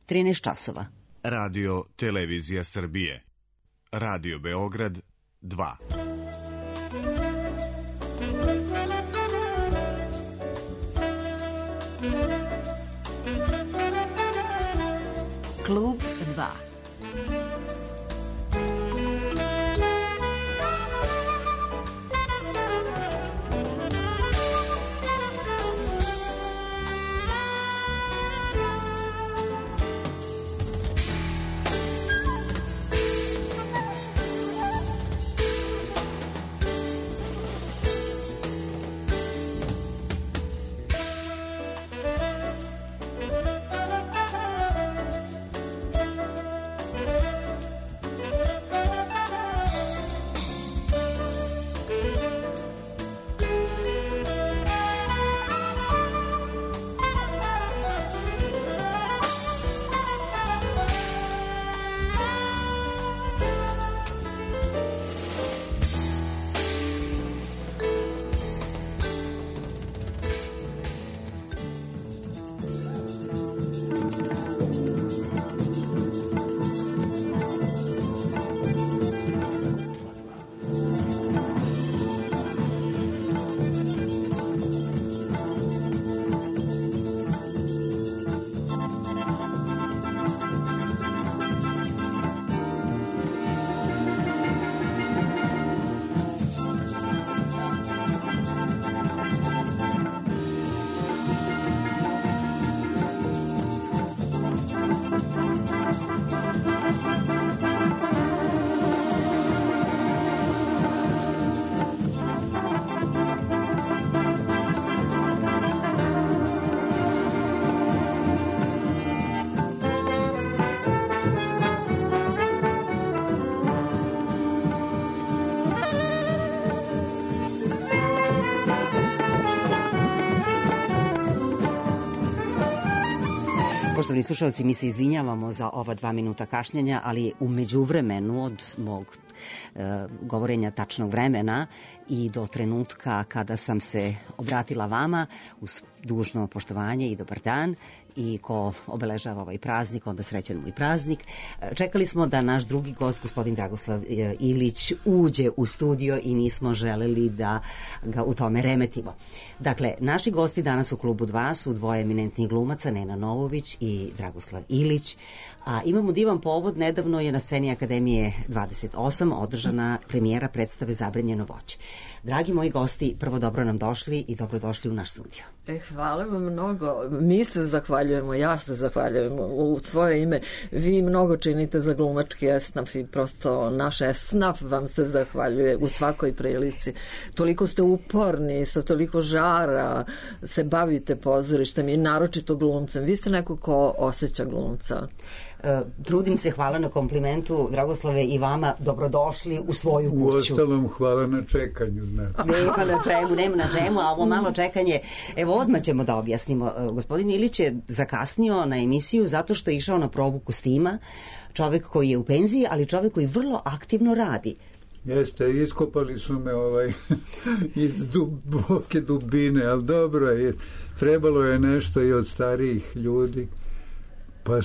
13 časova. Radio Televizija Srbije. Radio Beograd 2. Klub 2. Poštovani slušalci, mi se izvinjavamo za ova 2 minuta kašnjenja, ali u međuvremenu od mog govorenja tačnog vremena i do trenutka kada sam se obratila vama uz dužno poštovanje i dobar dan i ko obeležava ovaj praznik, onda srećan mu i praznik. Čekali smo da naš drugi gost, gospodin Dragoslav Ilić, uđe u studio i nismo želeli da ga u tome remetimo. Dakle, naši gosti danas u Klubu 2 su dvoje eminentnih glumaca, Nena Novović i Dragoslav Ilić. A imamo divan povod, nedavno je na sceni Akademije 28 održana premijera predstave Zabranjeno voće. Dragi moji gosti, prvo dobro nam došli i dobrodošli u naš studio. Hvala vam mnogo. Mi se zahvaljujemo, ja se zahvaljujem u svoje ime. Vi mnogo činite za glumački esnaf i prosto naš esnaf vam se zahvaljuje u svakoj prilici. Toliko ste uporni, sa toliko žara se bavite pozorištem i naročito glumcem. Vi ste neko ko osjeća glumca. Trudim se, hvala na komplimentu, Dragoslave, i vama dobrodošli u svoju kuću. Uostalom, hvala na čekanju. Nema na čemu, a ovo malo čekanje, evo odmah ćemo da objasnimo. Gospodin Ilić je zakasnio na emisiju zato što je išao na probu kostima, čovek koji je u penziji, ali čovek koji vrlo aktivno radi. Jeste, iskopali su me iz duboke dubine, ali dobro je, trebalo je nešto i od starijih ljudi. Pa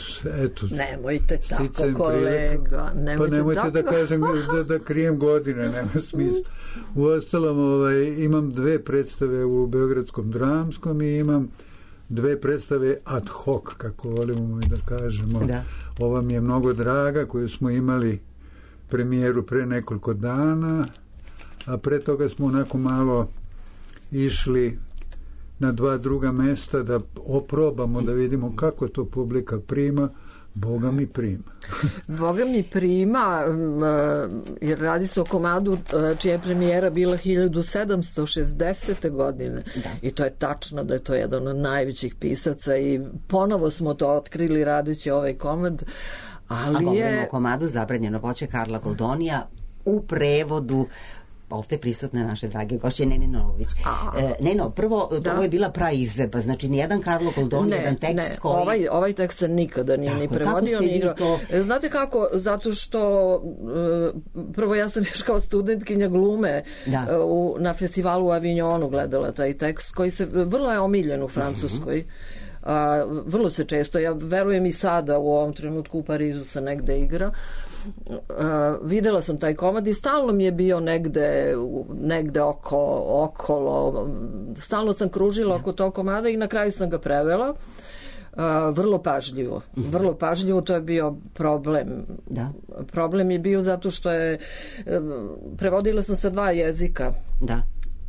eto, nemojte tako, kolega, nemojte tako. Da kažem da krijem godine, nema smisla. Uostalom, imam 2 predstave u Beogradskom dramskom i imam 2 predstave ad hoc, kako volimo da kažemo. Da. Ova mi je mnogo draga, koju smo imali premijeru pre nekoliko dana, a pre toga smo onako malo išli na 2 druga mesta da oprobamo, da vidimo kako to publika prima. Boga mi prima. Boga mi prima, jer radi se o komadu čija je premijera bila 1760. godine. Da. I to je tačno da je to jedan od najvećih pisaca i ponovo smo to otkrili radeći ovaj komad. Ali a govorimo o komadu Zabranjeno voće Karla Goldonija u prevodu ovde prisutne naše drage gošće Nene Novović. Neno, prvo, da. Ovo je bila praizvedba, znači nijedan Karlo Goldoni, jedan tekst koji... Ovaj tekst se nikada nije ni prevodio, ni igrao. To... Znate kako? Zato što prvo ja sam još kao studentkinja glume na festivalu u Avignonu gledala taj tekst koji se vrlo je omiljen u Francuskoj. Vrlo se često, ja verujem i sada u ovom trenutku u Parizu se negde igra. Videla sam taj komad i stalno mi je bio negde okolo, stalno sam kružila oko tog komada i na kraju sam ga prevela. Vrlo pažljivo, to je bio problem. Da. Problem je bio zato što prevodila sam sa 2 jezika. Da.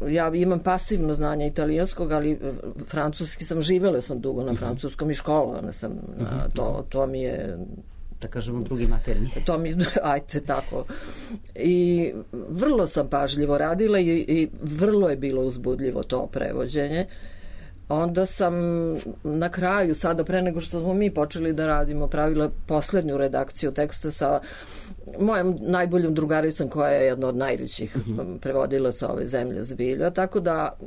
Ja imam pasivno znanje italijanskog, ali francuski živela sam dugo na francuskom i školovana sam. To mi je, da kažemo, drugi maternji. To mi, ajde, tako. I vrlo sam pažljivo radila i vrlo je bilo uzbudljivo to prevođenje. Onda sam na kraju, sada pre nego što smo mi počeli da radimo, pravila poslednju redakciju teksta sa mojom najboljom drugaricom koja je jedna od najvećih prevodilaca ove zemlje zbilja, tako da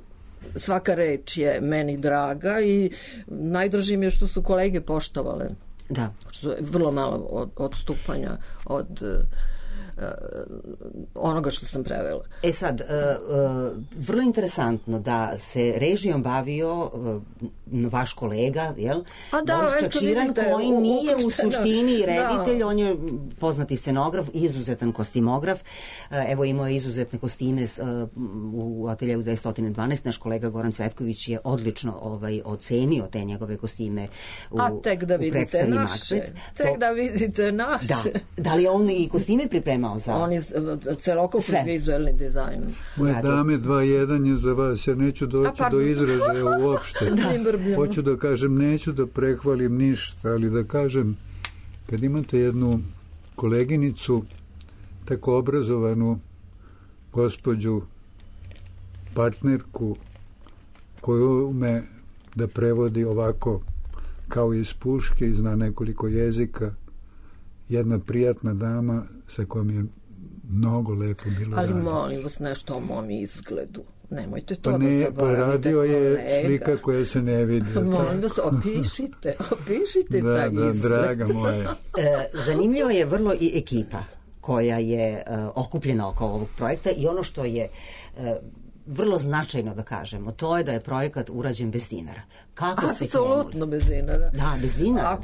svaka reč je meni draga i najdraži mi je što su kolege poštovale. Da. Što je vrlo malo odstupanja od onoga što sam prevela. Sad, vrlo interesantno da se režijom bavio vaš kolega, jel? Boris Čačiran, koji nije u suštini reditelj, on je poznati scenograf, izuzetan kostimograf. Evo, imao je izuzetne kostime u ateljevu 212. Naš kolega Goran Cvetković je odlično ocenio te njegove kostime u tek da vidite naše. Tek da vidite naše. Da li on i kostime pripremao? On je celokupni vizualni dizajn. Moje dame, 2-1 je za vas. Ja neću doći do izražaja uopšte. Hoću da kažem, neću da prehvalim ništa, ali da kažem, kad imate jednu koleginicu, tako obrazovanu gospođu, partnerku, koju ume da prevodi ovako kao iz puške i zna nekoliko jezika, jedna prijatna dama sa kojom je mnogo lepo bilo raditi. Ali molim vas nešto o mom izgledu. Nemojte to da zaboravite. Pa radio je slika koja se ne vidi. Molim vas, opišite taj izgled. Da, draga moja. Zanimljiva je vrlo i ekipa koja je okupljena oko ovog projekta i ono što je vrlo značajno da kažemo, to je da je projekat urađen bez dinara. Kako ste krenuli? Apsolutno bez dinara. Da, bez dinara.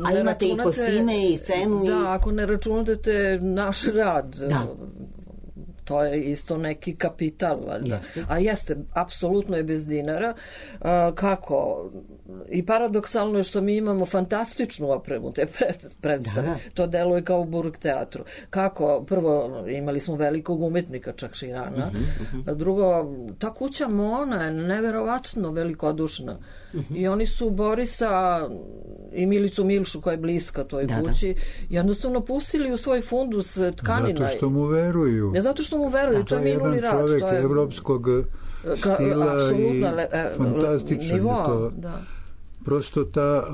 A imate i kostime i scenu. Da, ako ne računate naš rad. Da. To je isto neki kapital, valjda. Jeste. A jeste, apsolutno je bez dinara. Kako? I paradoksalno je što mi imamo fantastičnu opremu te predstave. Da. To deluje kao u Burg teatru. Kako? Prvo, imali smo velikog umetnika Čakširana. Drugo, ta kuća Mona je neverovatno velikodušna. I oni su Borisa i Milicu Milšu koja je bliska toj kući jednostavno pustili u svoj fundus tkanina. Zato što mu veruju. Ne zato što mu veruju, to je minuli rad. To je jedan čovek evropskog stila i fantastičan je to. Da. Prosto ta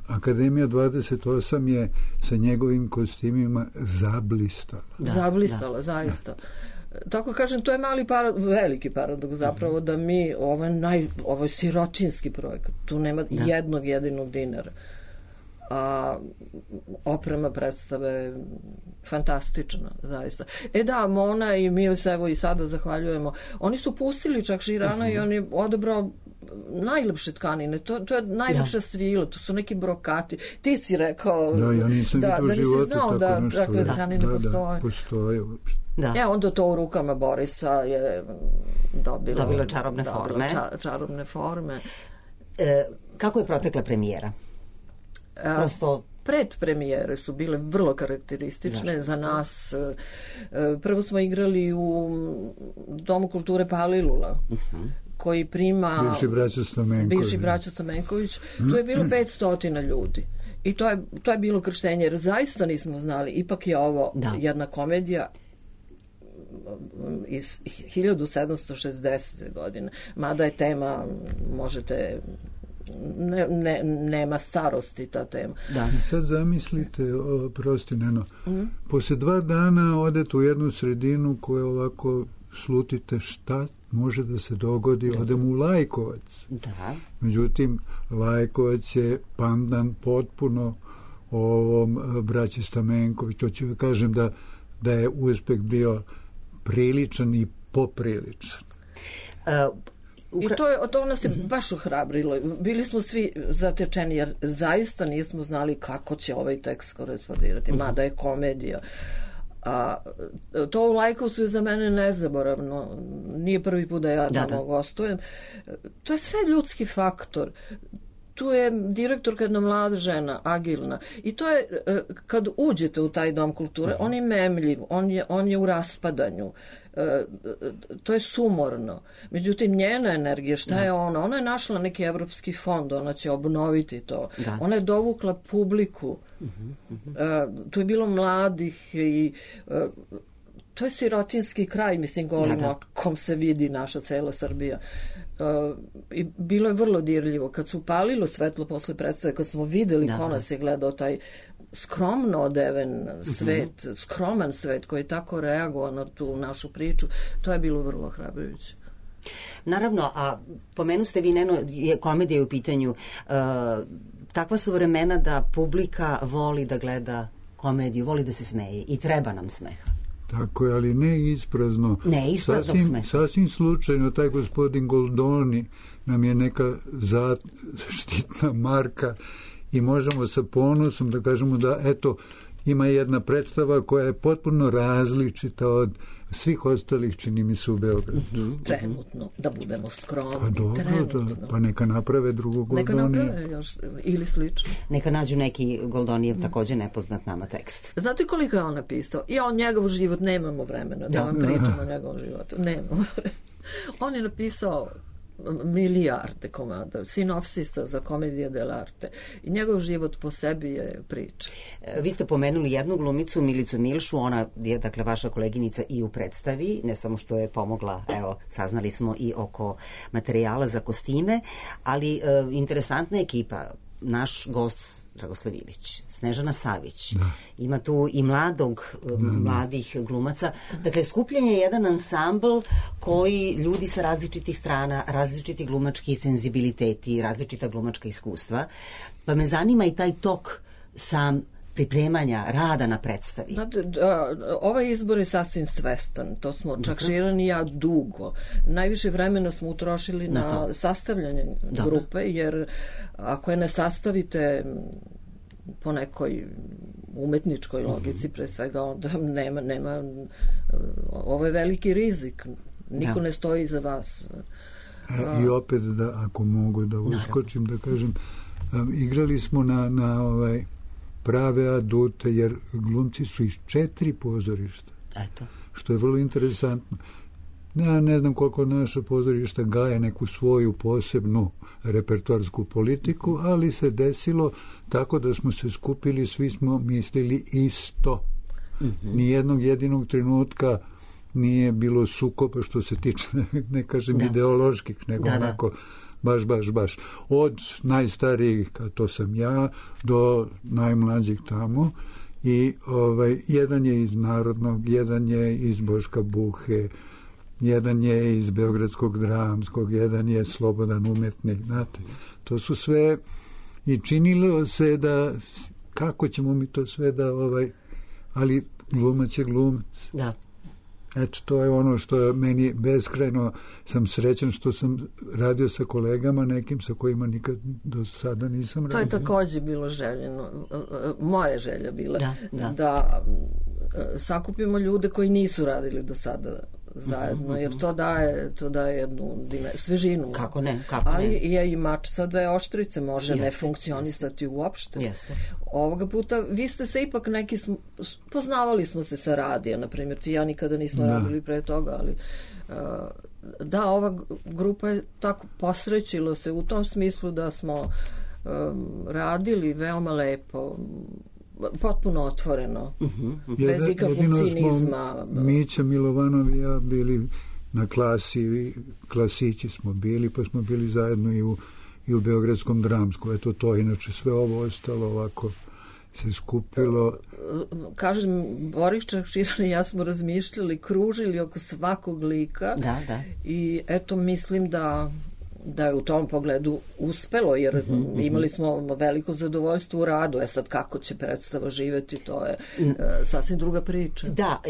Akademija 28 je sa njegovim kostimima zablistala. Zablistala, zaista. Tako kažem, to je veliki paradoks zapravo da mi, ovo je sirotinski projekat, tu nema jednog jedinog dinara. A oprema predstave fantastična, zaista. Da, Mona i mi se evo i sada zahvaljujemo. Oni su pustili Čakširana i on je odabrao najlepše tkanine, to je najlepša svila, to su neki brokati. Ti si rekao ja nisam da nisi znao da takve tkanine postoje. Postoje. Da. Onda to u rukama Borisa je dobilo čarobne forme. Kako je protekla premijera? Prosto predpremijere su bile vrlo karakteristične za nas. Prvo smo igrali u Domu kulture Palilula, koji prima bivši braća Stamenković. Tu je bilo 500 ljudi. I to je bilo krštenje, jer zaista nismo znali. Ipak je ovo jedna komedija iz 1760. godine. Mada je tema, možete... nema starosti ta tema. Da. I sad zamislite, prosti Neno, posle 2 dana odete u jednu sredinu koju ovako slutite šta može da se dogodi, odem u Lajkovac. Da. Međutim, Lajkovac je pandan potpuno ovom braći Stamenković. Hoću da kažem da je uspeh bio priličan i popriličan. I to nas je baš ohrabrilo. Bili smo svi zatečeni, jer zaista nismo znali kako će ovaj tekst korespondirati, mada je komedija. A to u Lajkovcu je za mene nezaboravno. Nije prvi put da ja tamo gostujem. To je sve ljudski faktor. Tu je direktorka jedna mlada žena, agilna. I to je, kad uđete u taj dom kulture, on je memljiv, on je u raspadanju. To je sumorno. Međutim, njena energija, šta je ona? Ona je našla neki evropski fond, ona će obnoviti to. Da. Ona je dovukla publiku. Tu je bilo mladih i to je sirotinski kraj, mislim, govorimo kom se vidi naša cela Srbija. I bilo je vrlo dirljivo. Kad su upalilo svetlo posle predstave, kad smo videli ko nas je gledao, taj skromno odeven svet, skroman svet koji je tako reagovao na tu našu priču, to je bilo vrlo hrabrujuće. Naravno, a pomenu ste vi, Neno, komedija je u pitanju. Takva su vremena da publika voli da gleda komediju, voli da se smeje i treba nam smeha. Tako je, ali ne isprazno. Ne isprazno smeha. Sasvim slučajno, taj gospodin Goldoni nam je neka zaštitna marka i možemo sa ponosom da kažemo da, eto, ima jedna predstava koja je potpuno različita od svih ostalih, čini mi se, u Beogradu. Trenutno, da budemo skromni. Pa dobro, pa neka naprave drugo Goldonije. Neka naprave još, ili slično. Neka nađu neki Goldonijev takođe nepoznat nama tekst. Znate koliko je on napisao? I njegov život, nemamo vremena da vam pričamo o njegovom životu. Nemamo vremena. On je napisao milijarde komada, sinopsisa za komedije dell'arte i njegov život po sebi je priča. Vi ste pomenuli jednu glumicu, Milicu Milšu, ona je, dakle, vaša koleginica i u predstavi, ne samo što je pomogla, evo, saznali smo i oko materijala za kostime, ali interesantna ekipa, naš gost Dragoslav Ilić, Snežana Savić, ima tu i mladih glumaca. Dakle, skupljen je jedan ansambl koji ljudi sa različitih strana, različiti glumački senzibiliteti, različita glumačka iskustva. Pa me zanima i taj tok sam pripremanja, rada na predstavi. Ovaj izbor je sasvim svestan. To smo čak Širan i ja dugo. Najviše vremena smo utrošili na sastavljanje grupe, jer ako je ne sastavite po nekoj umetničkoj logici, pre svega, onda nema ovo je veliki rizik. Niko ne stoji iza vas. I opet, da, ako mogu da uskočim, da kažem, igrali smo na prave adute, jer glumci su iz 4 pozorišta. Eto. Što je vrlo interesantno. Ja ne znam koliko naša pozorišta gaje neku svoju posebnu repertoarsku politiku, ali se desilo tako da smo se skupili, svi smo mislili isto. Nijednog jedinog trenutka nije bilo sukoba što se tiče, ne kažem ideoloških, nego onako baš. Od najstarijih, a to sam ja, do najmlađih tamo. I jedan je iz Narodnog, jedan je iz Boška Buhe, jedan je iz Beogradskog dramskog, jedan je slobodan umetnik, znate. To su sve, i činilo se da, kako ćemo mi to sve da, ali glumac je glumac. Da. Eto, to je ono što je meni beskrajno, sam srećan što sam radio sa kolegama nekim sa kojima nikad do sada nisam radio. To je takođe bilo željeno. Moja želja bila da sakupimo ljude koji nisu radili do sada zajedno, jer to daje jednu svežinu. Kako ne? Ali je i mač sa 2 oštrice, može ne funkcionisati uopšte. Jeste. Ovoga puta, vi ste se ipak neki, poznavali smo se sa radija, na primjer, ti ja nikada nismo radili pre toga, ali da, ova grupa je tako posrećilo se u tom smislu da smo radili veoma lepo, potpuno otvoreno, bez ikakvog cinizma. Mića Milovanov i ja bili na klasi, klasići smo bili, pa smo bili zajedno i u Beogradskom dramsku. Eto to, inače sve ovo ostalo ovako se skupilo. Kažem, Boris Čakširan i ja smo razmišljali, kružili oko svakog lika i eto, mislim da da je u tom pogledu uspelo, jer imali smo veliko zadovoljstvo u radu. Sad kako će predstava živeti, to je sasvim druga priča. Da,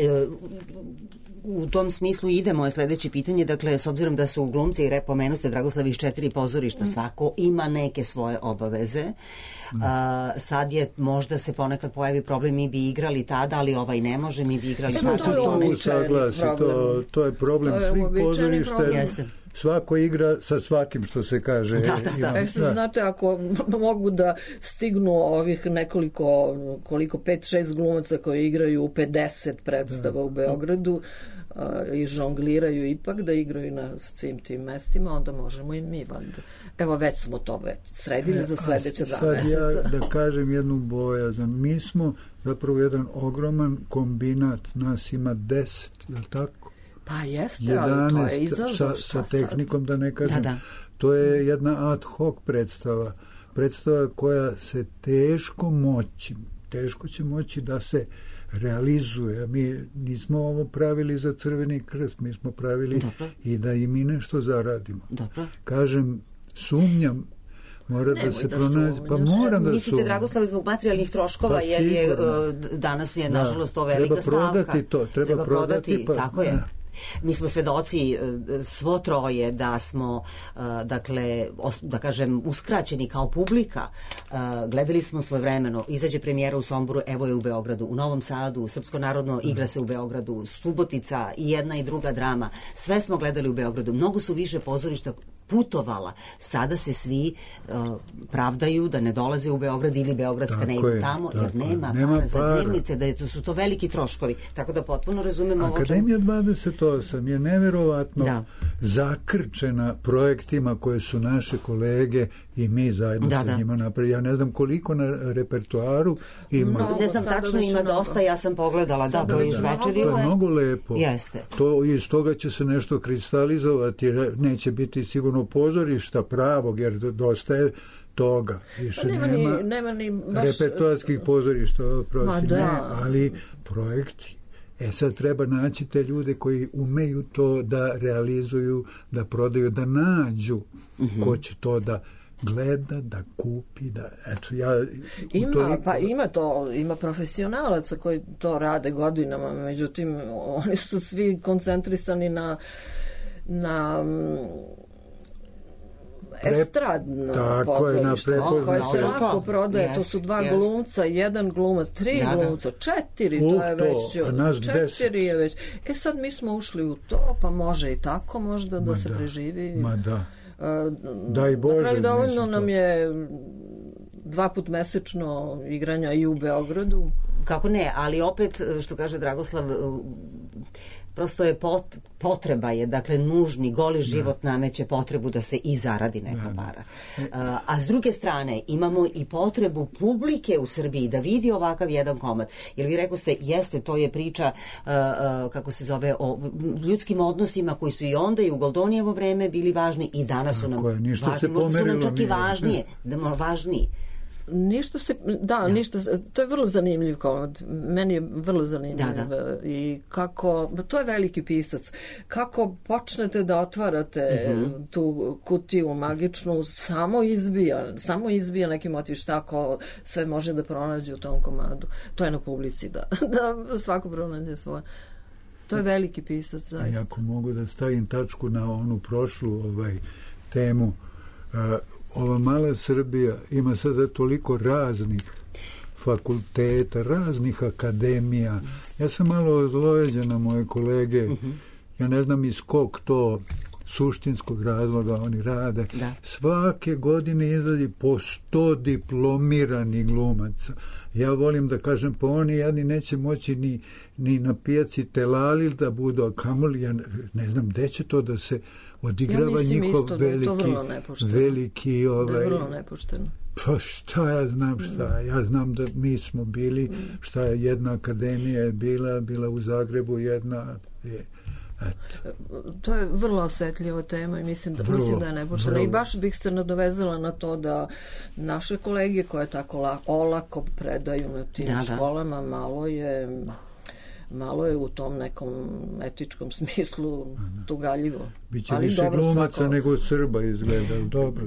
u tom smislu ide moje sledeće pitanje, dakle, s obzirom da su glumci, i pomenuste Dragoslav iz 4 pozorišta, svako ima neke svoje obaveze. Sad je, možda se ponekad pojavi problem, mi bi igrali tada, ali ovaj ne može, mi bi igrali tada. To je problem svih pozorišta. Svako igra sa svakim, što se kaže. Da. Znate, ako mogu da stignu ovih nekoliko, 5-6 glumaca koji igraju 50 predstava u Beogradu i žongliraju ipak da igraju na svim tim mestima, onda možemo i mi valjda. Evo, već smo to sredili za sledeće 2 meseca. Sad ja da kažem jednu bojazan. Mi smo zapravo jedan ogroman kombinat, nas ima 10, je li tako? Pa jeste, ali to je izazov. Sa tehnikom, da ne kažem. To je jedna ad hoc predstava. Predstava koja se teško će moći da se realizuje. Mi nismo ovo pravili za Crveni krst, mi smo pravili i da i mi nešto zaradimo. Kažem, sumnjam, mora da se pronađe. Pa moram da sumnjam. Mislite, Dragoslave, zbog materijalnih troškova, jer danas je, nažalost, to velika stavka. Treba prodati, tako je. Mi smo svedoci svo troje da smo, dakle, da kažem, uskraćeni kao publika. Gledali smo svojevremeno, izađe premijera u Somboru, evo je u Beogradu, u Novom Sadu, Srpsko narodno igra se u Beogradu, Subotica i jedna i druga drama. Sve smo gledali u Beogradu. Mnogo su više pozorišta putovala. Sada se svi pravdaju da ne dolaze u Beograd ili beogradska ne idu tamo, jer nema para za dnevnice, da su to veliki troškovi. Tako da potpuno razumemo ovo. Akademija 28 je neverovatno zakrčena projektima koje su naše kolege i mi zajedno sa njima napravili. Ja ne znam koliko na repertoaru ima. Ne znam, tačno ima dosta, ja sam pogledala, to je izvečerio. To je mnogo lepo. Jeste. Iz toga će se nešto kristalizovati, neće biti sigurno pozorišta pravog, jer dosta je toga. Više nema ni baš repertoarskih pozorišta, ali projekti. Sad treba naći te ljude koji umeju to da realizuju, da prodaju, da nađu ko će to da gleda, da kupi, da ima profesionalaca koji to rade godinama, međutim oni su svi koncentrisani na estradno pozorište koje se lako prodaje. To su 2 glumca, 1 glumac, 3 glumca, 4, to je već 4 je već. Sad mi smo ušli u to, pa može i tako možda da se preživi. Daj Bože. Na kraju dovoljno nam je 2 put mesečno igranja i u Beogradu. Kako ne, ali opet, što kaže Dragoslav, prosto je potreba je, dakle, nužni, goli život nameće potrebu da se i zaradi neka para. A s druge strane, imamo i potrebu publike u Srbiji da vidi ovakav jedan komad. Jer vi rekoste, jeste, to je priča, kako se zove, o ljudskim odnosima koji su i onda i u Goldonijevo vreme bili važni i danas su nam važni. Možda su nam čak i važniji. To je vrlo zanimljiv komad. Meni je vrlo zanimljiv. I kako, to je veliki pisac. Kako počnete da otvarate tu kutiju magičnu, samo izbija neki motiv, šta ko sve može da pronađe u tom komadu. To je na publici, da svako pronađe svoje. To je veliki pisac, zaista. Ako mogu da stavim tačku na onu prošlu temu, ova mala Srbija ima sada toliko raznih fakulteta, raznih akademija. Ja sam malo ozlojeđen na moje kolege. Ja ne znam iz kog to suštinskog razloga oni rade. Svake godine izlazi po 100 diplomiranih glumaca. Ja volim da kažem, pa oni jedni neće moći ni na pijaci Telalil da budu, a kamoli, ja ne znam gde će to da se odigrava njihov veliki da je vrlo nepošteno. Pa šta ja znam ja znam da mi smo bili, šta je jedna akademija je bila u Zagrebu, jedna je. To je vrlo osetljiva tema i mislim da je nepošteno. I baš bih se nadovezala na to da naše kolege koje tako olako predaju na tim školama, malo je malo je u tom nekom etičkom smislu tugaljivo. Biće više glumaca nego Srba izgleda, dobro.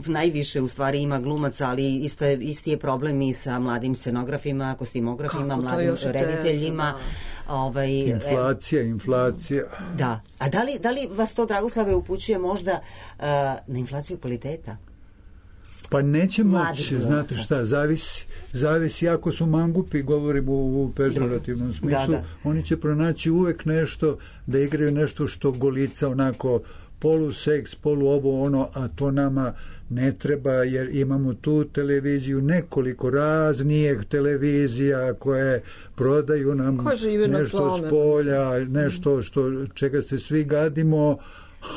Najviše u stvari ima glumaca, ali isti je problem i sa mladim scenografima, kostimografima, mladim rediteljima. Inflacija. Da. A da li vas to, Dragoslave, upućuje možda na inflaciju kvaliteta? Pa neće moći, znate šta, zavisi ako su mangupi, govorimo u pežorativnom smislu, oni će pronaći uvek nešto, da igraju nešto što golica onako poluseks, polu ovo ono, a to nama ne treba, jer imamo tu televiziju, nekoliko raznih televizija koje prodaju nam nešto s polja, nešto čega se svi gadimo,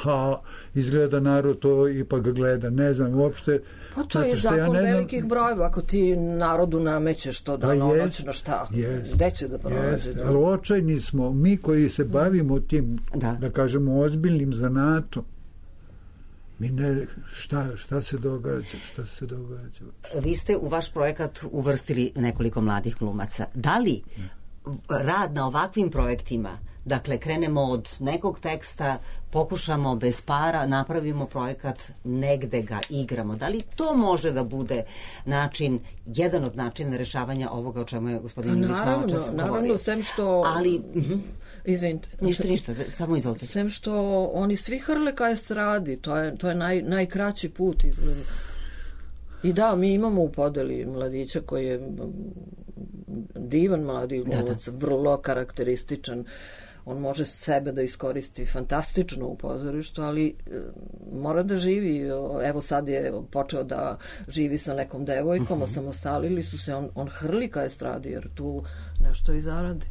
a izgleda narod to ipak gleda, ne znam uopšte. Pa to je zakon velikih brojeva, ako ti narodu namećeš to danonoćno šta, gde će da pronađe? Ali očajni smo, mi koji se bavimo tim, da kažemo, ozbiljnim zanatom, mi ne, šta se događa? Vi ste u vaš projekat uvrstili nekoliko mladih glumaca. Da li rad na ovakvim projektima, dakle, krenemo od nekog teksta, pokušamo bez para, napravimo projekat, negde ga igramo. Da li to može da bude jedan od načina rešavanja ovoga o čemu je gospodin Ilić malo čas govorio? Naravno, sem što... Ali... Izvinite. Ništa, samo izvolite. Sem što oni svi hrle ka estradi, to je najkraći put izgleda. I da, mi imamo u podeli mladića koji je divan mladi glumac, vrlo karakterističan. On može sebe da iskoristi fantastično u pozorištu, ali mora da živi. Evo sad je počeo da živi sa nekom devojkom, osamostalili su se, on hrli ka estradi, jer tu nešto i zaradi.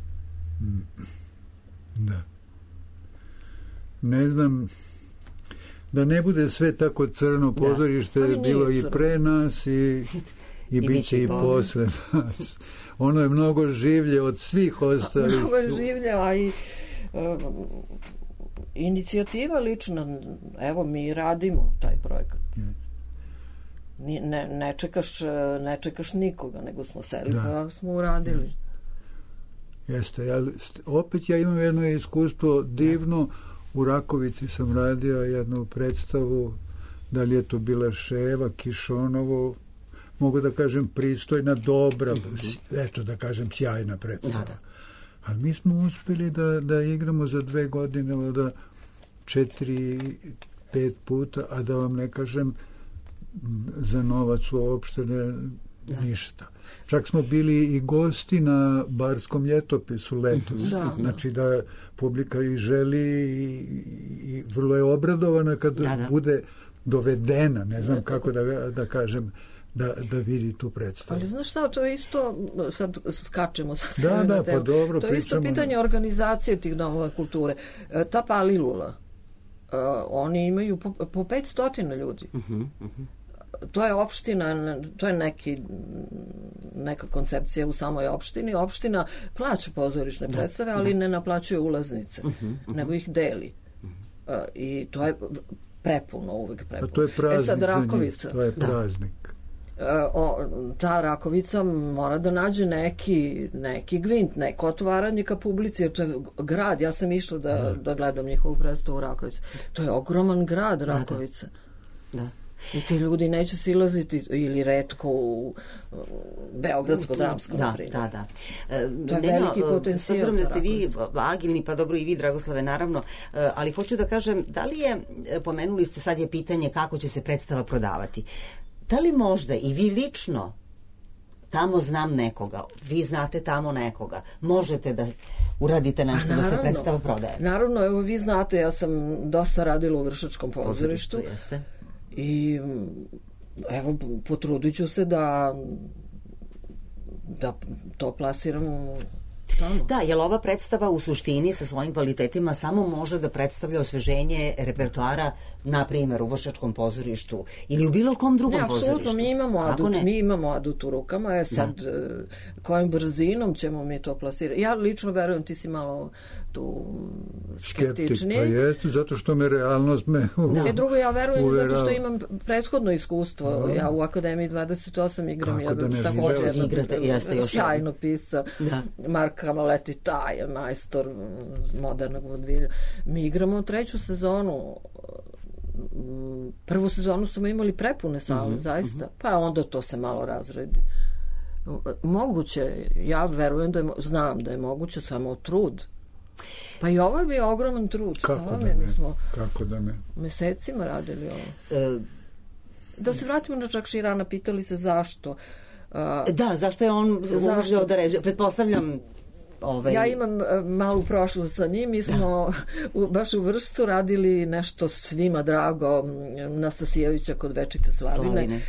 Da. Ne znam, da ne bude sve tako crno, pozorište je bilo i pre nas i bit će i posle nas. Ono je mnogo življe od svih ostalih. Mnogo je življe, a i inicijativa lična, evo mi radimo taj projekat. Ne čekaš nikoga, nego smo seli pa smo uradili. Jeste, opet ja imam jedno iskustvo divno. U Rakovici sam radio jednu predstavu, da li je to bila Ševa, Kišonovo, mogu da kažem pristojna, dobra, eto da kažem sjajna predstava. Ali mi smo uspeli da igramo za 2 godine, da 4-5 puta, a da vam ne kažem za novac uopšte ništa. Čak smo bili i gosti na Barskom ljetopisu letos. Znači da publika i želi i vrlo je obradovana kad bude dovedena, ne znam kako da kažem, da vidi tu predstavu. Ali znaš šta, to je isto, sad skačemo sa sve na temu. Pa dobro, to je isto pitanje organizacije tih domova kulture. Ta Palilula, oni imaju po 500 ljudi. To je opština, to je neka koncepcija u samoj opštini. Opština plaća pozorišne predstave, ali ne naplaćuje ulaznice, nego ih deli. I to je prepuno, uvek prepuno. To je praznik sad Rakovica, to je praznik. Ta Rakovica mora da nađe neki gvint, neko otvaranje ka publici, jer to je grad. Ja sam išla da gledam njihovu predstavu u Rakovici. To je ogroman grad, Rakovica. Da. I ti ljudi neće silaziti ili retko u Beogradsko dramsko. Da. To je veliki potencijal. S da ste vi agilni, pa dobro i vi, Dragoslave, naravno, ali hoću da kažem, da li je, pomenuli ste, sad je pitanje kako će se predstava prodavati. Da li možda i vi lično, tamo znam nekoga, vi znate tamo nekoga, možete da uradite nešto da se predstava prodaje? Naravno, evo vi znate, ja sam dosta radila u Vršačkom pozorištu. Jeste. I evo, potrudit ću se da to plasiramo tamo. Da, jer ova predstava u suštini sa svojim kvalitetima samo može da predstavlja osveženje repertoara, na primjer u Vršačkom pozorištu ili u bilo kom drugom pozorištu. Apsolutno, mi imamo adut u rukama, sad kojim brzinom ćemo mi to plasirati. Ja lično verujem, ti si malo tu skeptični. Pa jeste, zato što me realnost drugo, ja verujem zato što imam prethodno iskustvo. Ja u Akademiji 28 igram također jednog sjajnog pisca, Marka trkama leti, taj je majstor modernog vodvilja. Mi igramo 3. sezonu. Prvu sezonu smo imali prepune sale, zaista. Pa onda to se malo razredi. Moguće, ja verujem znam da je moguće, samo trud. Pa i ovo je bio ogroman trud. Kako da ne? Mesecima radili ovo. Da se vratimo na Čakširana, pitali se zašto. Zašto je on uzeo da režira? Pretpostavljam... Ja imam malu prošlost sa njim. Mi smo baš u Vršcu radili nešto svima drago Nastasijevića kod Večite Slavine.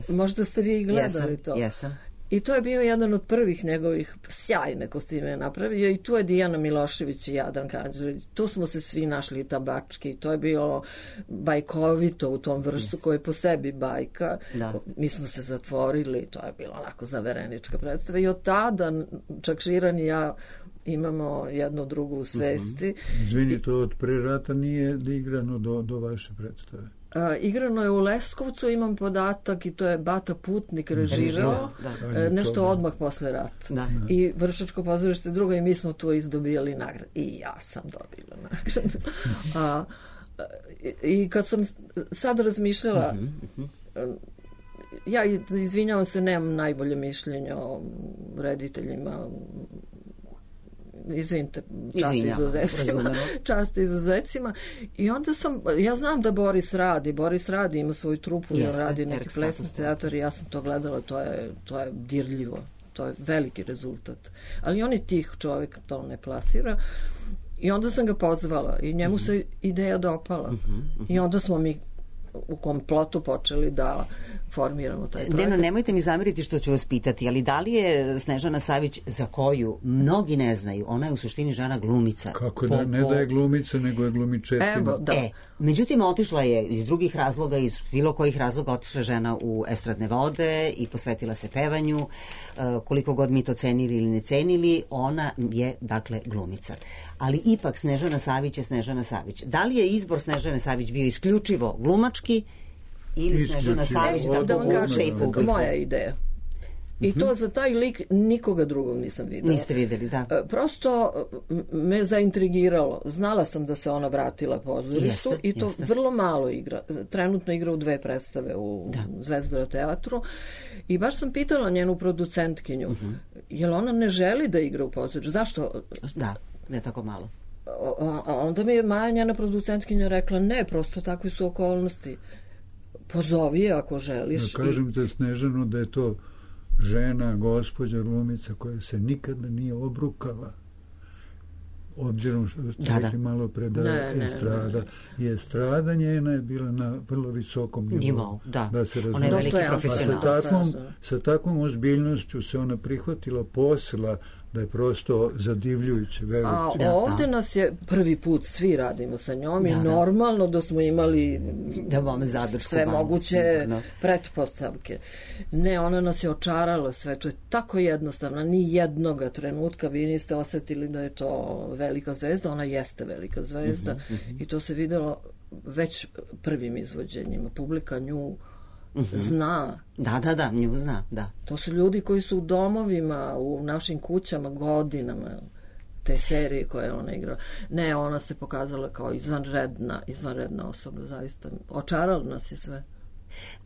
Možda ste vi gledali to. Jesam. I to je bio jedan od prvih njegovih sjajne kostime je napravio i tu je Dijana Milošević i Jadran Kanđurić. Tu smo se svi našli tabački. To je bilo bajkovito u tom Vršcu koji je po sebi bajka. Da. Mi smo se zatvorili. To je bilo onako zaverenička predstava. I od tada Čakširan i ja imamo jednu drugu u svesti. Izvini, to od pre rata nije igrano do vaše predstave? Igrano je u Leskovcu, imam podatak, i to je Bata Putnik režirao, nešto odmah posle rata. I Vršačko pozorište drugo, i mi smo tu izdobijali nagradu. I ja sam dobila nagradu. I kad sam sad razmišljala, ja izvinjavam se, nemam najbolje mišljenje o rediteljima, izvinite, čast izuzecima. I onda ja znam da Boris radi, ima svoju trupu, radi neki plesni teatar i ja sam to gledala, to je dirljivo, to je veliki rezultat. Ali on je tih čovjek, to ne plasira. I onda sam ga pozvala i njemu se ideja dopala. I onda smo mi u komplotu počeli da formiramo taj projekat. Deno, nemojte mi zameriti što ću vas pitati, ali da li je Snežana Savić, za koju mnogi ne znaju, ona je u suštini žena glumica. Kako da, ne da je glumica, nego je glumičetina. Evo, da. Međutim, otišla je iz drugih razloga, iz bilo kojih razloga, otišla žena u estradne vode i posvetila se pevanju. Koliko god mi to cenili ili ne cenili, ona je, dakle, glumica. Ali ipak Snežana Savić je Snežana Savić. Da li je izbor Snežane Savić bio isključivo glumački ili Snežana Savić da povuče i publiku? Moja ideja. I to za taj lik nikoga drugog nisam videla. Niste videli, da. Prosto me zaintrigiralo. Znala sam da se ona vratila pozorištu i to vrlo malo igra. Trenutno igra u 2 predstave u Zvezdara teatru. I baš sam pitala njenu producentkinju, jel ona ne želi da igra u pozorištu? Zašto? Da, ne tako malo. Onda mi je Maja, njena producentkinja, rekla, ne, prosto takve su okolnosti. Pozovi je ako želiš. Da kažem te, Snežanu, da je to žena, gospođa, glumica koja se nikada nije obrukala, obzirom što ste rekli malo pre da estrada. I estrada njena je bila na vrlo visokom nivou. Da se razume. Ona je veliki profesional. Sa takvom ozbiljnošću se ona prihvatila posla da je prosto zadivljujuće. Ovde nas je prvi put, svi radimo sa njom i normalno da smo imali sve moguće pretpostavke. Ne, ona nas je očarala sve, to je tako jednostavno, ni jednoga trenutka vi niste osetili da je to velika zvezda, ona jeste velika zvezda i to se videlo već prvim izvođenjima. Publika nju zna. Da, nju zna, da. To su ljudi koji su u domovima, u našim kućama godinama, te serije koje ona igrala. Ne, ona se pokazala kao izvanredna osoba, zaista. Očarala nas je sve.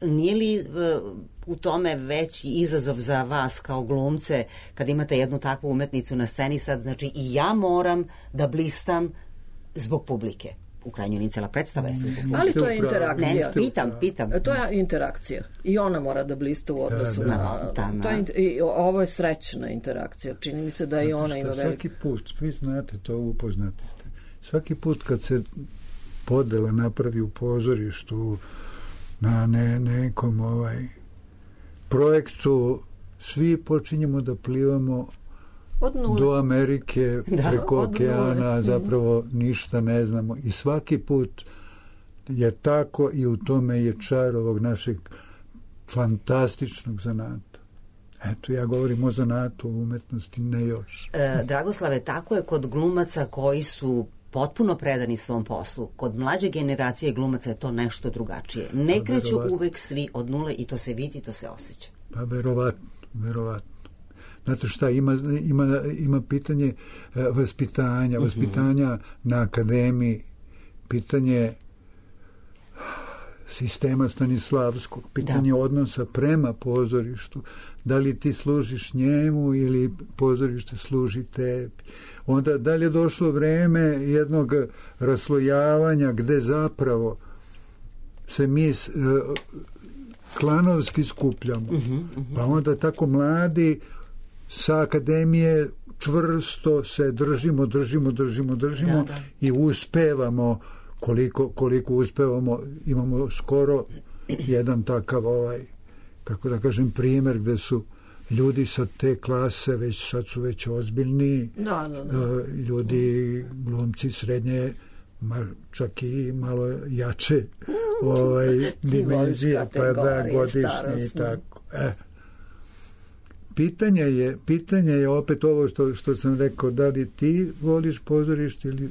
Nije li u tome veći izazov za vas kao glumce kad imate jednu takvu umetnicu na sceni sad, znači i ja moram da blistam zbog publike? U krajnjoj liniji cela predstava jeste zbog publike. Ali to je interakcija. Ne, pitam. To je interakcija. I ona mora da blista u odnosu na... Ovo je srećna interakcija. Čini mi se da i ona ima veliko... Svaki put, vi znate to, upoznati ste. Svaki put kad se podela napravi u pozorištu na nekom projektu, svi počinjemo da plivamo do Amerike, preko okeana, zapravo ništa ne znamo. I svaki put je tako i u tome je čar ovog našeg fantastičnog zanata. Eto, ja govorim o zanatu, o umetnosti, ne još. Dragoslave, tako je kod glumaca koji su potpuno predani svom poslu. Kod mlađe generacije glumaca je to nešto drugačije. Ne kreću uvek svi od nule i to se vidi, to se osjeća. Pa verovatno. Znate šta, ima pitanje vaspitanja na akademiji, pitanje sistema Stanislavskog, pitanje odnosa prema pozorištu, da li ti služiš njemu ili pozorište služi tebi. Onda da li je došlo vreme jednog raslojavanja gde zapravo se mi klanovski skupljamo. Pa onda tako mladi sa akademije čvrsto se držimo i uspevamo koliko uspevamo. Imamo skoro jedan takav kako da kažem primer gde su ljudi sa te klase sad su već ozbiljni ljudi, glumci srednje, čak i malo jače dimenzije, pa da, godišnje i tako. Pitanje je opet ovo što sam rekao, da li ti voliš pozorište ili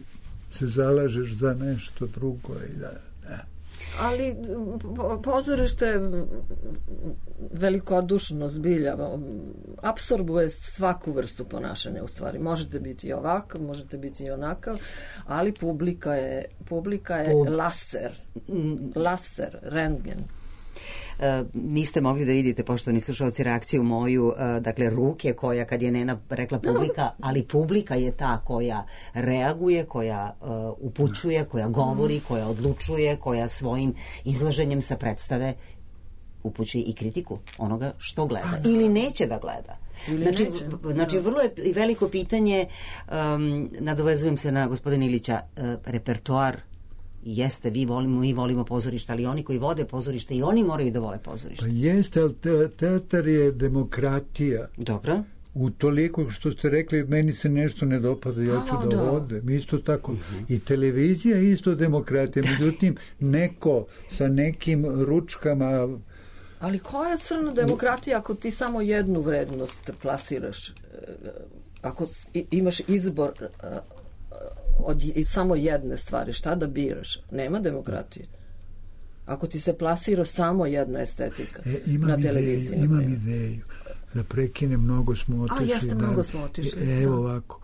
se zalažeš za nešto drugo i ali pozorište velikodušno zbilja apsorbuje svaku vrstu ponašanja u stvari. Možete biti i ovakav, možete biti i onakav, ali publika je laser, rentgen. Niste mogli da vidite, poštovani slušalci, reakciju moju, dakle ruke koja, kad je Nena rekla publika, ali publika je ta koja reaguje, koja upućuje, koja govori, koja odlučuje, koja svojim izlaženjem sa predstave upućuje i kritiku onoga što gleda ili neće da gleda. Znači vrlo je i veliko pitanje, nadovezujem se na gospodina Ilića, repertoar jeste, mi volimo pozorište, ali oni koji vode pozorište i oni moraju da vole pozorište. Pa jeste, ali teatar je demokratija. Dobro. U toliko što ste rekli, meni se nešto ne dopada, ja ću da odem. Isto tako. I televizija je isto demokratija. Međutim, neko sa nekim ručkama... Ali koja je crna demokratija ako ti samo jednu vrednost plasiraš? Ako imaš izbor... od samo jedne stvari, šta da biraš? Nema demokratije. Ako ti se plasira samo jedna estetika na televiziji. Imam ideju da prekinem, mnogo smo otišli. Mnogo smo otišli. Evo ovako,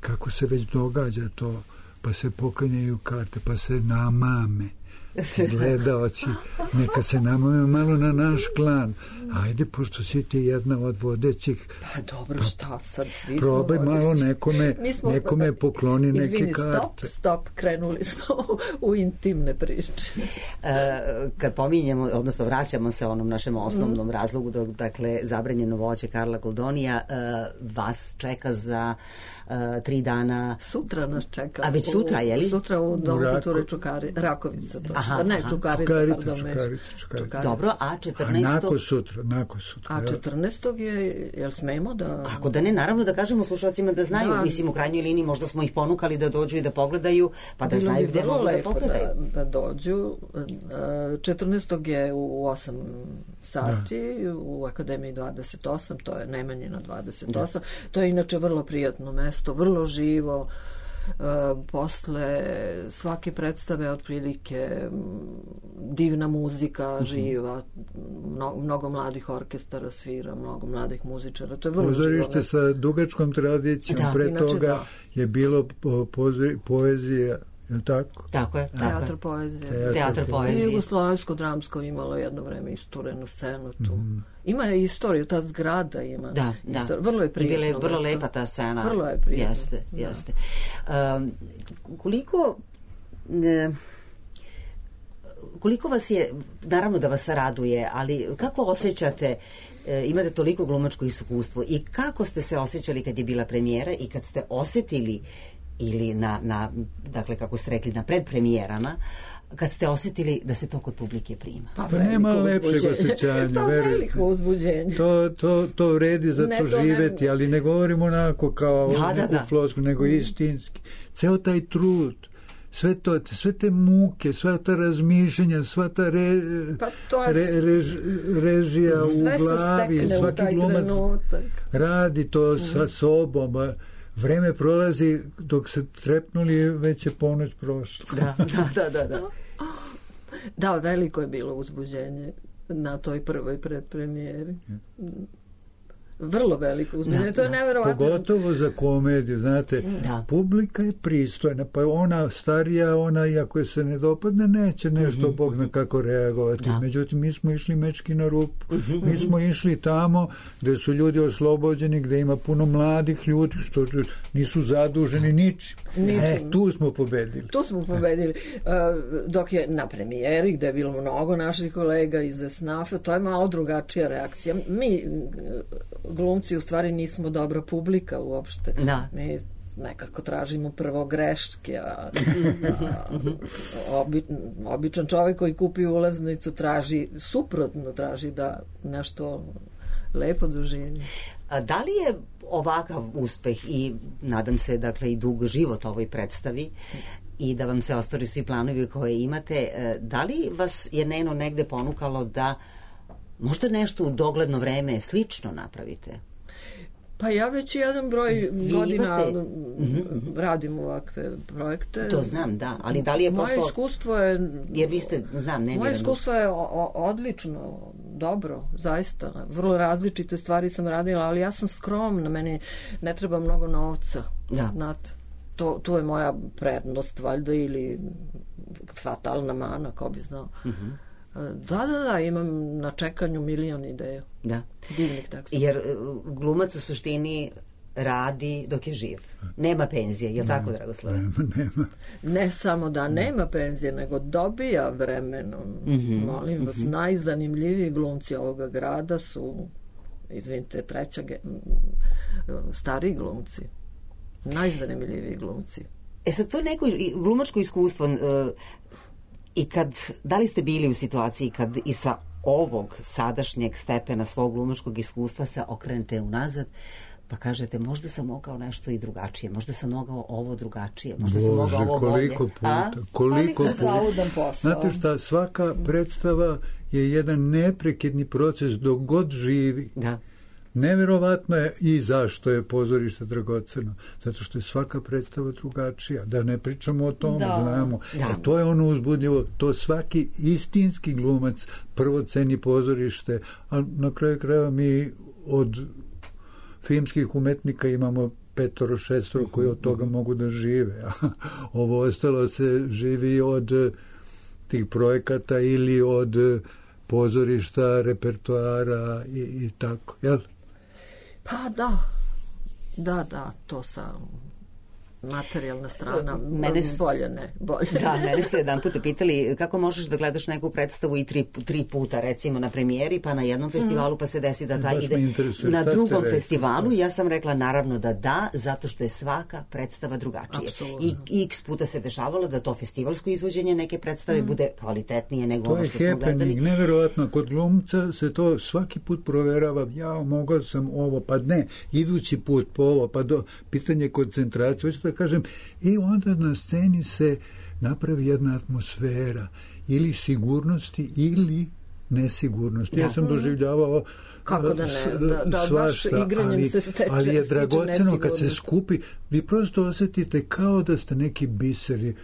kako se već događa to, pa se poklanjaju karte, pa se namame gledaoci, neka se namame malo na naš klan. Ajde, pošto si ti jedna od vodećih, pa dobro, šta sad, svi probaj smo malo nekome pokloni neke karte. Stop, krenuli smo u intimne priče. Kad pominjemo, odnosno vraćamo se onom našem osnovnom razlogu, dakle, zabranjeno voće Karla Goldonija, vas čeka za 3 dana. Sutra nas čeka. A već sutra, je li? Sutra u Domu kulture Rakovica. Čukarica. Dobro, a 14. Nakon sutra. A 14. je, jel smemo da... Kako da ne, naravno da kažemo slušalcima da znaju, mislim u krajnjoj liniji možda smo ih ponukali da dođu i da pogledaju, pa da znaju gde mogu da pogledaju. Da dođu. 14. je u 8 sati u Akademiji 28, to je Nemanjina 28. To je inače vrlo prijatno mesto, vrlo živo. Posle svake predstave otprilike divna muzika živa, mnogo mladih orkestara svira, mnogo mladih muzičara, to je vrlo živo. Pozorište sa dugačkom tradicijom, pre toga je bilo poezija, je li tako? Tako je. Teatr poezije. I Jugoslovensko dramsko imalo jedno vreme isturenu scenu tu. Ima je istoriju, ta zgrada ima. Da. Vrlo je prijatno. I vrlo lepa ta scena. Vrlo je prijatno. Jeste. Koliko vas je, naravno da vas raduje, ali kako osjećate, imate toliko glumačko iskustvo i kako ste se osjećali kad je bila premijera i kad ste osetili ili dakle, kako ste rekli, na predpremijerama, kad ste osjetili da se to kod publike prima? Pa nema lepšeg osjećanja. Pa veliko uzbuđenje. To vredi za to živeti, ali ne govorimo onako kao u flosku, nego istinski. Ceo taj trud, sve te muke, sva ta razmišljanja, sva ta režija u glavi, svaki glumac radi to sa sobom, vreme prolazi, dok se trepnuli, već je ponoć prošla. Da. Da, veliko je bilo uzbuđenje na toj prvoj predpremijeri. vrlo veliko uzbuđenje. To je neverovatno. Pogotovo za komediju, znate, publika je pristojna, pa ona starija, ona iako je se ne dopadne, neće nešto Bog zna kako reagovati. Međutim, mi smo išli mečki na rupu. Mi smo išli tamo gde su ljudi oslobođeni, gde ima puno mladih ljudi, što nisu zaduženi ničim. Tu smo pobedili. Tu smo pobedili. Dok je na premijeri, gde je bilo mnogo naših kolega iz SNAF-a, to je malo drugačija reakcija. Mi, glumci, u stvari nismo dobra publika uopšte. Mi nekako tražimo prvo greške, a običan čovjek koji kupi ulaznicu traži suprotno, traži da nešto lepo doživi. A da li je ovakav uspeh i nadam se dakle i dug život ovoj predstavi i da vam se ostvari svi planovi koje imate, da li vas je Neno negde ponukalo da možda nešto u dogledno vreme slično napravite? Pa ja već jedan broj godina radim ovakve projekte. To znam, da, ali da li je moje iskustvo je... Jer vi ste, znam, nemirano. Moje iskustvo je odlično, dobro, zaista. Vrlo različite stvari sam radila, ali ja sam skromna, meni ne treba mnogo novca. Znate, to je moja prednost, valjda, ili fatalna mana, ko bi znao. Da, imam na čekanju milion ideja. Divnih teksta. Jer glumac u suštini radi dok je živ. Nema penzije, je li tako, Dragoslave? Nema. Ne samo da nema penzije, nego dobija vremenom. Molim vas, najzanimljiviji glumci ovoga grada su, izvinite, stariji glumci. Najzanimljiviji glumci. Sad, to je neko glumačko iskustvo. I da li ste bili u situaciji kad i sa ovog sadašnjeg stepena svog glumačkog iskustva se okrenete unazad pa kažete možda sam mogao nešto i drugačije, možda sam mogao ovo drugačije, možda sam mogao ovo bolje. Koliko puta. Znate šta, svaka predstava je jedan neprekidni proces dok god živi. Neverovatno je i zašto je pozorište dragoceno. Zato što je svaka predstava drugačija. Da ne pričamo o tom, znamo. To je ono uzbudljivo. To svaki istinski glumac prvo ceni pozorište, a na kraju krajeva mi od filmskih umetnika imamo 5-6 koji od toga mogu da žive. Ovo ostalo se živi od tih projekata ili od pozorišta, repertoara i tako, jel? Pa da, to sam materijalna strana, bolje ne. Mene su jedan puta pitali kako možeš da gledaš neku predstavu i tri puta, recimo na premijeri, pa na jednom festivalu, pa se desi da taj ide na drugom festivalu. Ja sam rekla naravno da, zato što je svaka predstava drugačija. I x puta se dešavalo da to festivalsko izvođenje neke predstave bude kvalitetnije nego ono što smo gledali. To je happening, neverovatno. Kod glumca se to svaki put proverava, mogao sam ovo, pa ne, idući put po ovo, pa pitanje koncentracije, kažem, i onda na sceni se napravi jedna atmosfera ili sigurnosti ili nesigurnosti. Ja sam doživljavao kako da ne, baš igranjem se steče, ali je dragoceno kad se skupi, vi prosto osjetite kao da ste neki biseri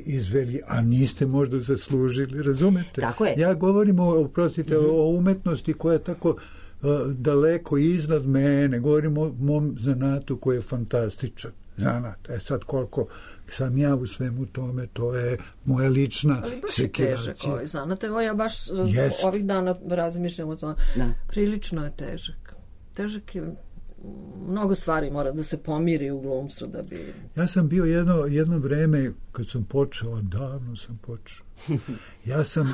izveli, a niste možda zaslužili, razumete? Tako je. Ja govorim o umetnosti koja je tako daleko iznad mene, govorim o mom zanatu koji je fantastičan zanat. Sad koliko sam ja u svemu tome, to je moja lična sekiracija. Ali baš je težak ovaj zanat. Evo ja baš ovih dana razmišljam o tome. Prilično je težak. Težak je, mnogo stvari mora da se pomiri u glumcu da bi... Ja sam bio jedno vreme, kad sam počeo, davno sam počeo. Ja sam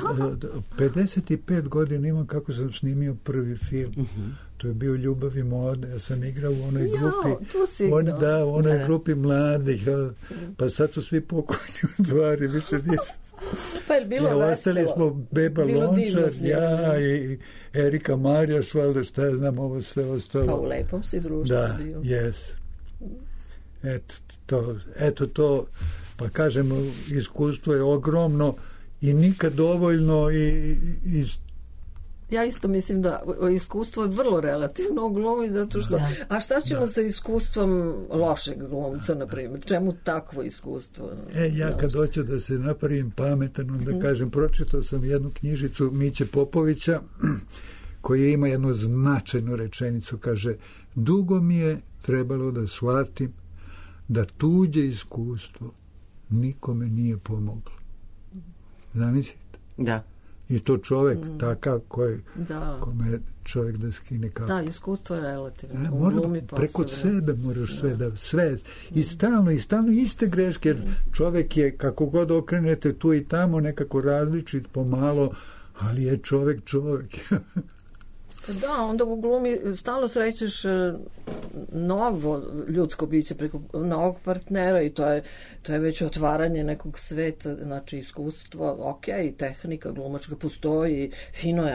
55 godina imam kako sam snimio prvi film. To je bio Ljubav i moda. Ja sam igrao u onoj grupi. U onoj grupi mladih. Pa sad su svi pokojni u stvari, više nisam. Pa je bilo veselo. Ostali smo Beba Lončar, ja i Erika Marjaš, valjda šta ja znam, ovo sve ostalo. Pa u lepom si društvu bio. Da, jes. Eto to, pa kažem, iskustvo je ogromno i nikad dovoljno i ja isto mislim da iskustvo je vrlo relativno u glumi, zato što... A šta ćemo sa iskustvom lošeg glumca, na primjer? Čemu takvo iskustvo? Ja kad hoću da se napravim pametan, onda kažem, pročitao sam jednu knjižicu Miće Popovića, koji ima jednu značajnu rečenicu, kaže, dugo mi je trebalo da shvatim da tuđe iskustvo nikome nije pomoglo. Zamislite? Da. I to čovek takav kome čovek da skine kapu. Da, iskustvo je relativno. Preko sebe moraš sve. I stalno iste greške, jer čovek je, kako god okrenete tu i tamo, nekako različit pomalo, ali je čovek. Da, onda u glumi stalno srećeš novo ljudsko biće preko novog partnera i to je već otvaranje nekog sveta, znači iskustvo, ok, tehnika glumačka postoji, fino je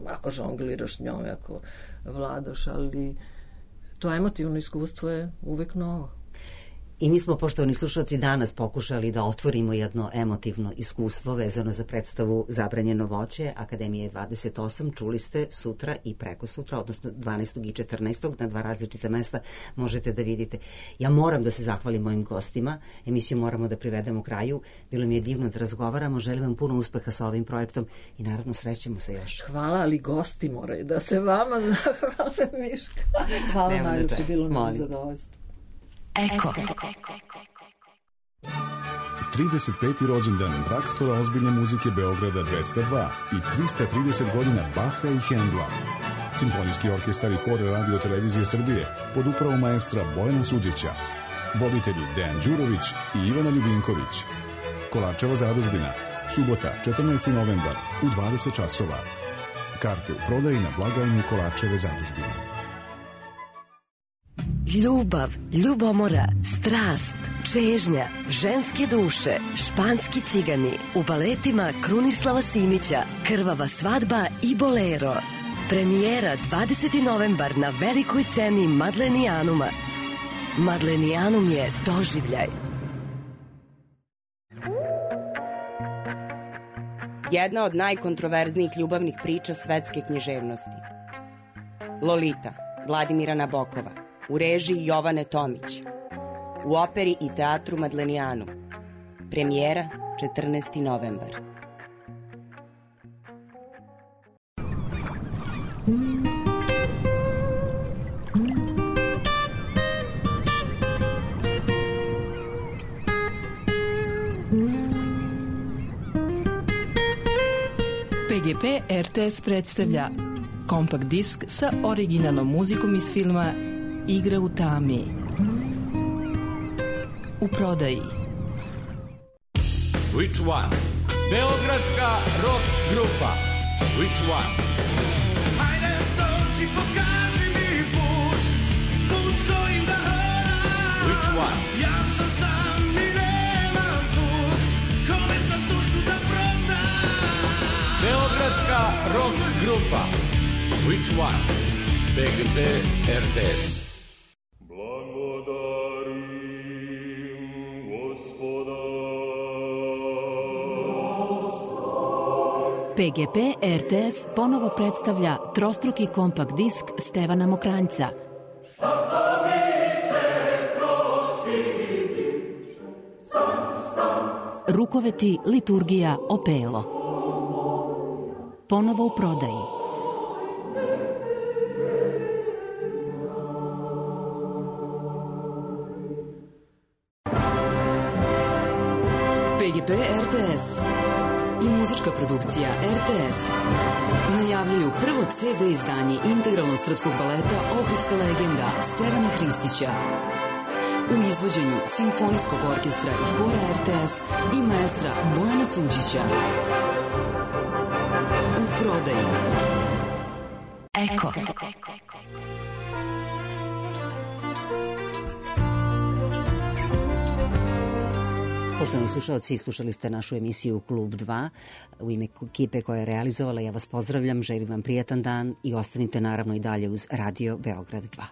ako žongliraš njome, ako vladaš, ali to emotivno iskustvo je uvek novo. I mi smo, poštovani slušalci, danas pokušali da otvorimo jedno emotivno iskustvo vezano za predstavu Zabranjeno voće Akademije 28. Čuli ste sutra i preko sutra, odnosno 12. i 14. na 2 različita mesta možete da vidite. Ja moram da se zahvalim mojim gostima. Emisiju moramo da privedemo kraju. Bilo mi je divno da razgovaramo. Želim vam puno uspeha sa ovim projektom i naravno srećemo se još. Hvala, ali gosti moraju da se vama zahvale, Miška. Hvala najljepše, bilo nam zadovoljstvo. Eko. 35. rođendan Drakstora ozbiljne muzike Beograda 202 i 330 godina Baha i Hendla. Simfonijski orkestar i hor Radio Televizije Srbije pod upravom maestra Bojana Suđića. Voditelji Dejan Đurović i Ivana Ljubinković. Kolarčeva zadužbina. Subota, 14. novembar u 20 časova. Karte u prodaji na blagajni Kolarčeve zadužbine. Ljubav, ljubomora, strast, čežnja, ženske duše, španski cigani, u baletima Krunislava Simića, Krvava svadba i Bolero. Premijera 20. novembar na velikoj sceni Madlenijanuma. Madlenijanum je doživljaj. Jedna od najkontroverznijih ljubavnih priča svetske književnosti. Lolita, Vladimira Nabokova, u režiji Jovane Tomić, u operi i teatru Madlenijanum. Premijera 14. novembar. PGP RTS predstavlja kompakt disk sa originalnom muzikom iz filma Igra u tami. U prodaji. Which one? Beogradska rock grupa. Which one? Hajde dođi, pokaži mi put, put kojim da hodam. Which one? Ja sam sam i nemam put, kome sam dušu da prodam. Beogradska rock grupa. Which one? PGP RTS. PGP RTS ponovo predstavlja trostruki kompakt disk Stevana Mokranjca. Rukoveti, liturgija, opelo. Ponovo u prodaji. PGP RTS i muzička produkcija RTS najavljuju prvo CD izdanje integralnog srpskog baleta Ohridska legenda Stevana Hristića u izvođenju Simfonijskog orkestra i hora RTS i maestra Bojana Suđića. U prodaji. Eko. Poštovani slušalci, slušali ste našu emisiju Klub 2. U ime ekipe koja je realizovala, ja vas pozdravljam, želim vam prijatan dan i ostanite naravno i dalje uz Radio Beograd 2.